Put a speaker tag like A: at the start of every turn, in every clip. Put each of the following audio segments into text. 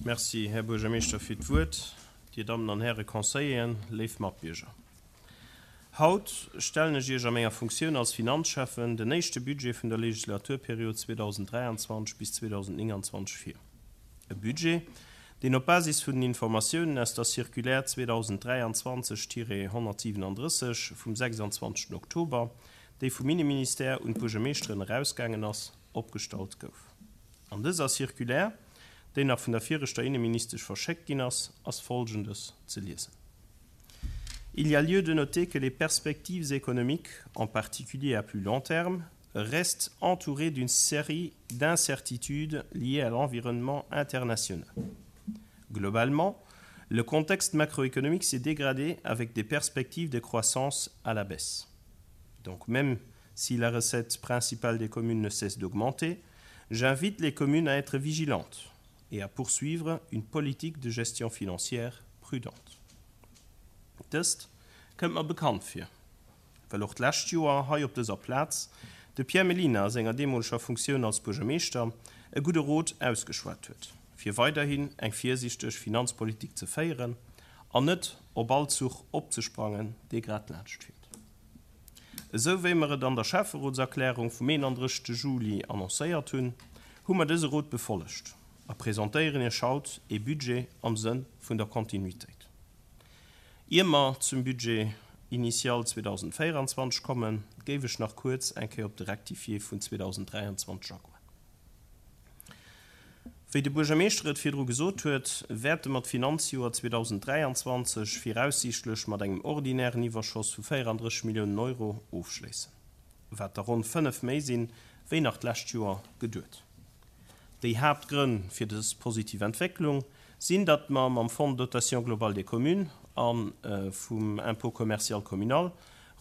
A: Merci, Här Buergermeeschter, fir d'Wuert. Dir Dammen an Häre Conseilleren, léif Matbierger. Haut stellen ech Iech a menger Funktioun als Finanzschäffen den éischte Budget vun der Legislaturperiod 2023 bis 2029 vir. E Budget, deen op Basis vun den Informatiounen aus der Circulaire 2023-137 vum 26 Oktober, déi vum Inneministère un d'Buergermeeschteren erausgaangen ass, opgestallt gouf. An dëser Circulaire, déi nach vun der viregter Inneministesch verschéckt ginn ass, ass Folgendes ze liesen. Il y a lieu de noter que les perspectives économiques, en particulier à plus long terme, restent entourées d'une série d'incertitudes liées à l'environnement international. Globalement, le contexte macroéconomique s'est dégradé avec des perspectives de croissance à la baisse. Donc même si la recette principale des communes ne cesse d'augmenter, j'invite les communes à être vigilantes et à poursuivre une politique de gestion financière prudente. Dëst kënnt mer bekannt vir, well och d'lescht Joer hei op dëser Plaz de Pierre Mellina a senger deemoleger Funktioun als Buergermeeschter e gudde Rot ausgeschwat huet, fir weiderhin eng virsiichteg Finanzpolitik ze féieren an net op all Zuch opzesprangen, dee grad laanscht fiert. Esou wéi mer et an der Schäfferotserklärung vum 31. Juli annoncéiert hunn, hu mer dëse Rot befollegt a presentéieren Iech haut ee Budget am Sënn vun der Kontinuitéit. Ier mer zum Budget initial 2024 kommen, géif ech nach kuerz eng Kéier op de Rectifié vun 2023 agoen. Wéi de Buergermeeschter et virdru gesot huet, wäerte mer d'Finanzjoer 2023 viraussiichtlech mat engem ordinären Iwwerschoss vu 34 Milliounen Euro ofschléissen, wat der ronn 5 méi sinn, wéi nach d'lescht Joer geduet. Déi Haaptgrënn fir dës positiv Entwécklung sinn, datt mer mam Fonds de dotation globale des communes a vum Impôt commercial communal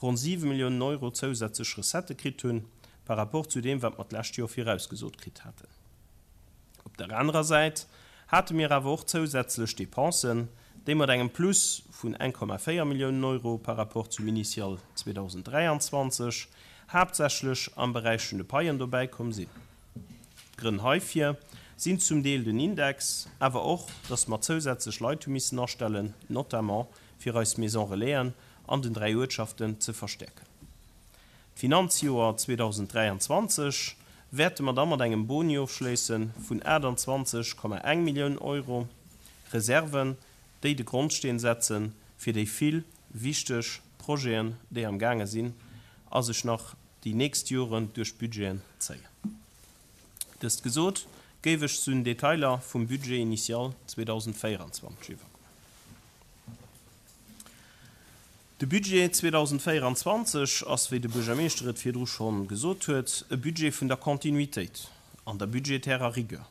A: ronn 7 Milliounen Euro zousätzlech Recettë kritt hunn, par rapport zu deem, wat mer d'lescht Joer virausgesot kritt haten. Op der anerer Säit hate mir awer och zousätzlech Dépensen, déi mat engem Plus vun 1,4 Milliounen Euro par rapport zum Initial 2023 haaptsächlech am Beräich vun de Paien dobäikomm sinn. D'Grënn heifir sinn zum Deel den Index, awer och, dass mer zousätzlech Leit hu missen astellen, notamment fir eis Maison Relaisen an den 3 Uertschaften ze verstäerken. D'Finanzjoer 2023 wäerte mer da mat engem Boni ofschléisse vun 28,1 Milliounen Euro, Reserven, déi de Grondsteen setze fir déi vill wichteg Projeten, déi am gaange sinn a sech nach déi nächst Joren duerch d'Budgeten zéien. Dëst gesot, géif ech zu den Detailer vum Budget initial 2024 iwwergoen. De Budget 2024 ass, wéi de Buergermeeschter et virdru scho gesot huet, e Budget vun der Kontinuitéit an der budgetärer Rigueur.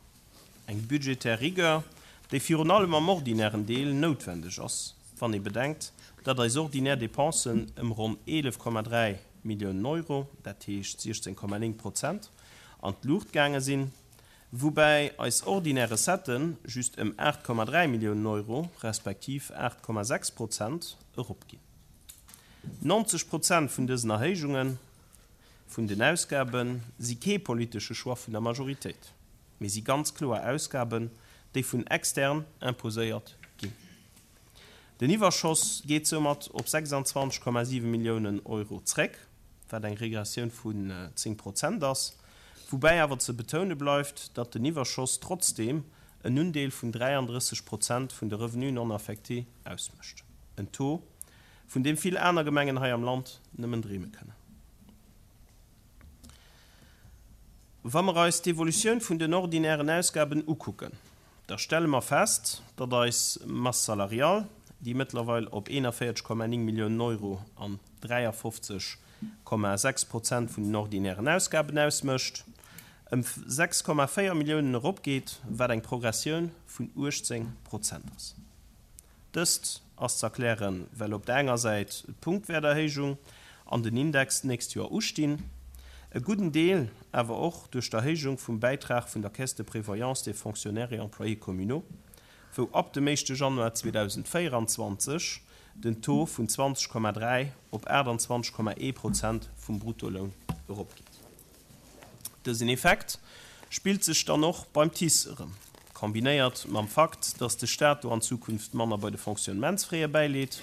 A: Eng budgetär Rigueur, déi virun allem am ordinären Deel noutwendeg ass, wann ee bedenkt, datt eis ordinär Dépensen ëm ronn 11,3 Milliounen Euro, dat heescht 16,9 Prozent, an d'Luucht gaange sinn, woubäi eis ordinär Recettë just ëm 8,3 Milliounen Euro, respektiv 8,6 Prozent, eropginn. 90 Prozent vun dësen Erhéijunge vun den Ausgabe si kee politesche Choix vun der Majoritéit, mee si ganz kloer Ausgaben, déi vun extern imposéiert ginn. Den Iwwerschoss geet soumat op 26,7 Milliounen Euro zréck, wat eng Regressioun vun 10 Prozent ass, woubäi awer ze betoune bleift, datt den Iwwerschoss trotzdeem en Undeel vun 33 Prozent vun de Revenus non affectés ausmécht, en Taux, vun deem vill aner Gemengen hei am Land nëmmen dreeme kënnen. Wa mer eis d'Evolutioun vun den ordinären Ausgaben ukucken, da stelle mer fest, datt eis Masse salariale, déi mëttlerweil op 41,9 Milliounen Euro an 53,6 Prozent vun den ordinären Ausgaben ausmécht, ëm 6,4 Milliounen eropgeet, wat eng Progressioun vun 18 Prozent ass. Dëst ass z'erklären, well op der enger Säit d'Punktwäerterhéijung an den Index d'nächst Joer ustinn, e gudden Deel awer och duerch d'Erhéijung vum Bäitrag vun der Caisse de prévoyance des fonctionnaires et employés communaux, wou ab dem éischte Januar 2024 den Taux vun 20,3 op 28,1 Prozent vum Bruttoloun eropgeet. Dësen Effekt spillt sech dann och beim TICE erëm. Kombinéiert mam Fakt, datt de Staat do an Zukunft manner bei de Fonctionnementsfraie bäileet.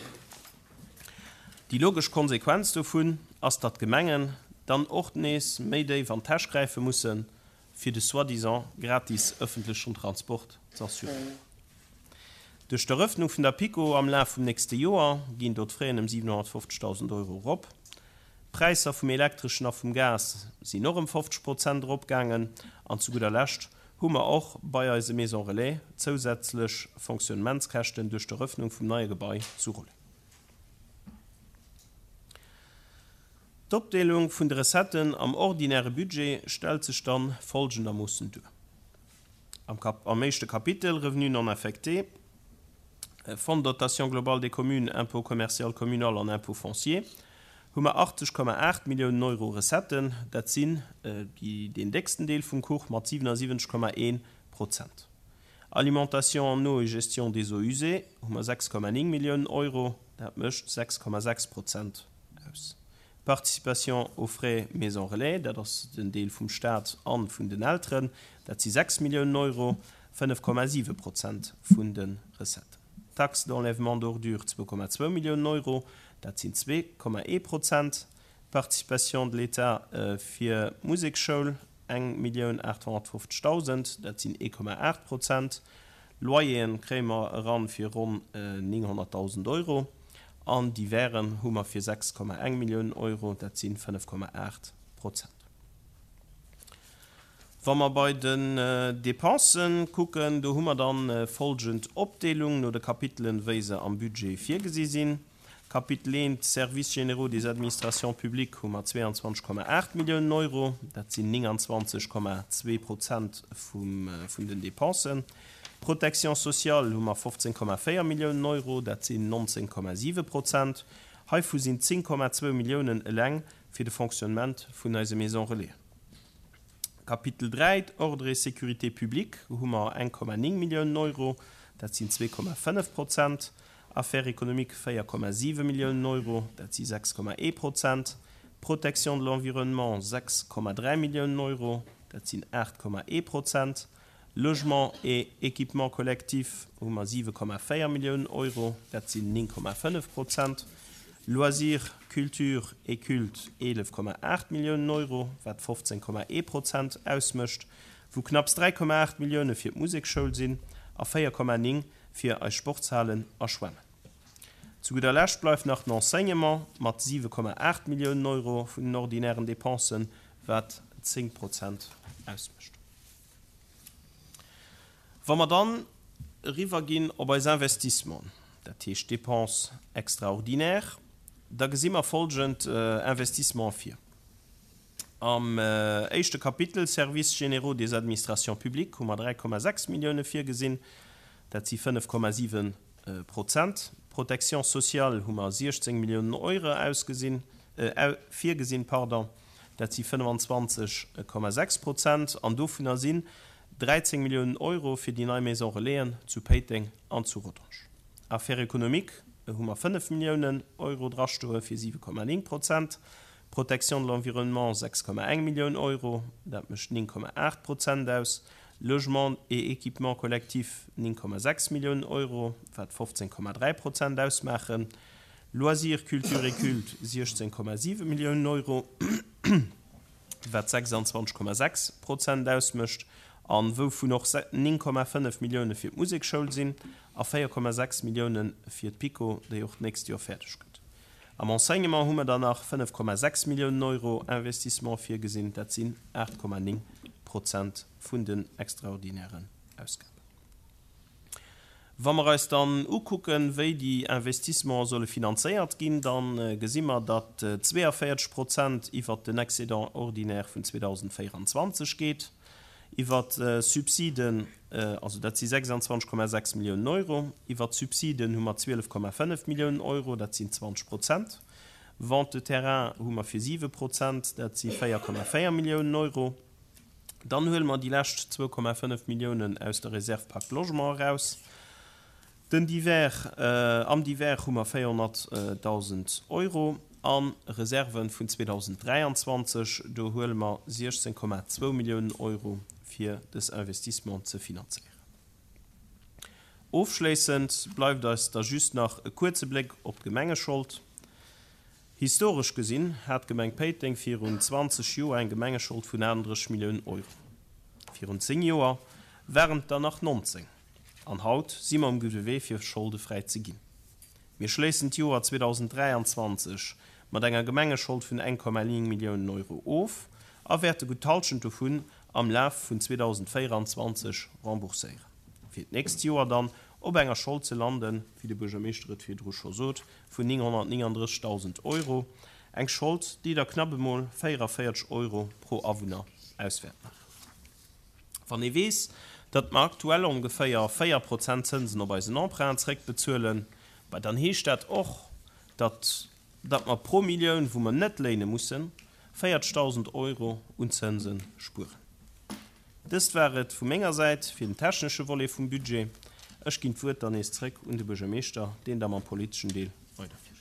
A: Déi logesch Konsequenz dovun ass, datt d'Gemengen dann och nees méi déif an d'Täsch gräife mussen, fir de soi-disant gratis ëffentlechen Transport z'assuréieren. Duerch d'Erëffnung vun der PiKo am Laf vum nächste Joer ginn do d'Fraien ëm 750.000 Euro erop. D'Präisser vum Elektreschen a vum Gas sinn och ëm 50 Prozent eropgaangen. An zu gudder Lescht hu mer och bei eise Maison Relais zousätzlech Fonctionnementskäschten duerch d'Erëffnung vum neie Gebai zu Rolleng. D'Opdeelung vun de Recetten am ordinäre Budget stellt sech dann folgendermoossen duer. Am Kap am éischte Kapitel, Revenus non affectés, Fonds de dotation globale des communes, Impôt commercial communal an Impôt foncier, hu mer 80,8 Milliounen Euro Recetten, dat sinn déi deen décksten Deel vum Kuch mat 77,1 Prozent. Alimentation en eau et gestion des eaux usées hu mer 6,9 Milliounen Euro, dat mécht 6,6 Prozent aus. Participation aux frais maison relais, dat ass den Deel vum Staat a vun den Elteren, dat si 6 Milliounen Euro, 5,7 Prozent vun de Recetten. Taxe d'enlèvement d'ordures 2,2 Milliounen Euro, dat sinn 2,1 Prozent. Participation de l'État fir d'Museksschoul 1.850.000, dat sinn 1,8 Prozent. Loyeren kréie mer eran fir ronn 900.000 Euro an Diversen hu mer fir 6,1 Milliounen Euro, dat si 5,8 Prozent. Wa mer bei den Dépensen kucken, do hu mer dann folgend Opdeelung no de Kapitelen, wéi se am Budget virgesi sinn. Kapitel I, Services généraux des administrations publiques, hu mer 22,8 Milliounen Euro, dat sinn 29,2 Prozent vun den Dépensen. Protection sociale hu mer 15,4 Milliounen Euro, dat sinn 19,7 Prozent. Heivu sinn 10,2 Milliounen eleng fir de Fonctionnement vun eise Maisons Relais. Kapitel 3, Ordre et sécurité publique, hu mer 1,9 Milliounen Euro, dat sinn 2,5 Prozent. Affaires économiques 4,7 Milliounen Euro, dat si 6,1 Prozent. Protection de l'environnement 6,3 Milliounen Euro, dat sinn 8,1 Prozent. Logement et équipement collectif hu mer 7,4 Milliounen Euro, dat sinn 9,5 Prozent. Loisirs, culture et culte 11,8 Milliounen Euro, wat 15,1 Prozent ausmécht, wou knapps 3,8 Millioune fir d'Musekschoul sinn a 4,9 fir eis Sportshalen a Schwämmen. Zu gudder Lescht bleift nach den Enseignement mat 7,8 Milliounen Euro vun den ordinären Dépensen, wat 10 Prozent ausmécht. Wa mer dann eriwwerginn op eis Investissementen, dat heescht Dépenses extraordinaires, da gesi mer folgend Investissementen vir. Am éischte Kapitel Services généraux des administrations publiques hu mer 3,6 Millioune virgesinn, dat si 5,7 Prozent. Protection sociale hu mer 16 Milliounen Euro ausgesinn, virgesinn, pardon, dat si 25,6 Prozent. An dovunner sinn 13 Milliounen Euro fir déi nei Maison Relaisen zu Péiteng an zu Rodange. Affaires économiques hu mer 5 Milliounen Euro drastoe fir 7,9 Prozent. Protection de l'environnement 6,1 Millioun Euro, dat mécht 9,8 Prozent aus, Logement et équipement collectif 9,6 Milliounen Euro, wat 15,3 Prozent ausmaachen, Loisirs, culture et culte 16,7 Milliounen Euro, wat 26,6 Prozent ausmécht, a wouvun och 9,5 Millioune fir d'Musekschoul sinn a 4,6 Millioune fir d'PiKo, déi och d'nächst Joer fäerdeg gëtt. Am Enseignement hu mer dann nach 5,6 Milliounen Euro Investissement virgesinn, dat sinn 8,9 Prozent vun den extraordinären Ausgaben. Wa mer eis dann ukucken, wéi déi Investissementen solle finanzéiert ginn, da gesi mer, datt 42 Prozent iwwert den Excédent ordinaire vun 2024 geet. Iwwer Subsiden, also dat si 26,6 Milliounen Euro. Iwwer Subsiden hu mer 12,5 Milliounen Euro, dat sinn 20 Prozent. Vente de terrain hu mer fir 7 Prozent, dat si 4,4 Milliounen Euro. Dann huele mer déi lescht 2,5 Milliounen aus der Réserve Pacte Logement eraus. Den Divers, Am Divers hu mer 400.000 Euro a Reserve vun 2023. Do huele mer 16,2 Milliounen Euro fir dës Investissement ze finanzéieren. Ofschléissend bleift eis da just nach e kuerze Bléck op d'Gemengeschold. Historesch gesinn hat d'Gemeng Péiteng virun 20 Joer eng Gemengeschold vun 38 Milliounen Euro. Virun 10 Joer waren et der nach 19. An haut si mer um gudde Wee fir scholdefräi ze ginn. Mir schléissen d'Joer 2023 mat enger Gemengeschold vun 1,9 Milliounen Euro of a wäerte gutt d'Hallschent dovun am Laf vun 2024 rembourséieren, fir d'nächst Joer dann op enger Schold ze landen, wéi de Buergermeeschter et virdru scho sot, vun 939.000 Euro, eng Schold, déi da knapp emol 44 Euro pro Awunner auswäert maachen. Wann ee weess, datt mer aktuell ongeféier 4 Prozent Zënsen op eisen Emprunt zréckbezuelen, bah dann heescht dat och, datt datt mer pro Millioun, wou mer net léine mussen, 40.000 Euro un Zënse spueren. Dëst war et vu menger Säit fir den technesche Volet vum Budget. Ech ginn d'Wuert dann nees zréck un de Buergermeeschter, deen da mam politeschen Deel weiderfiert.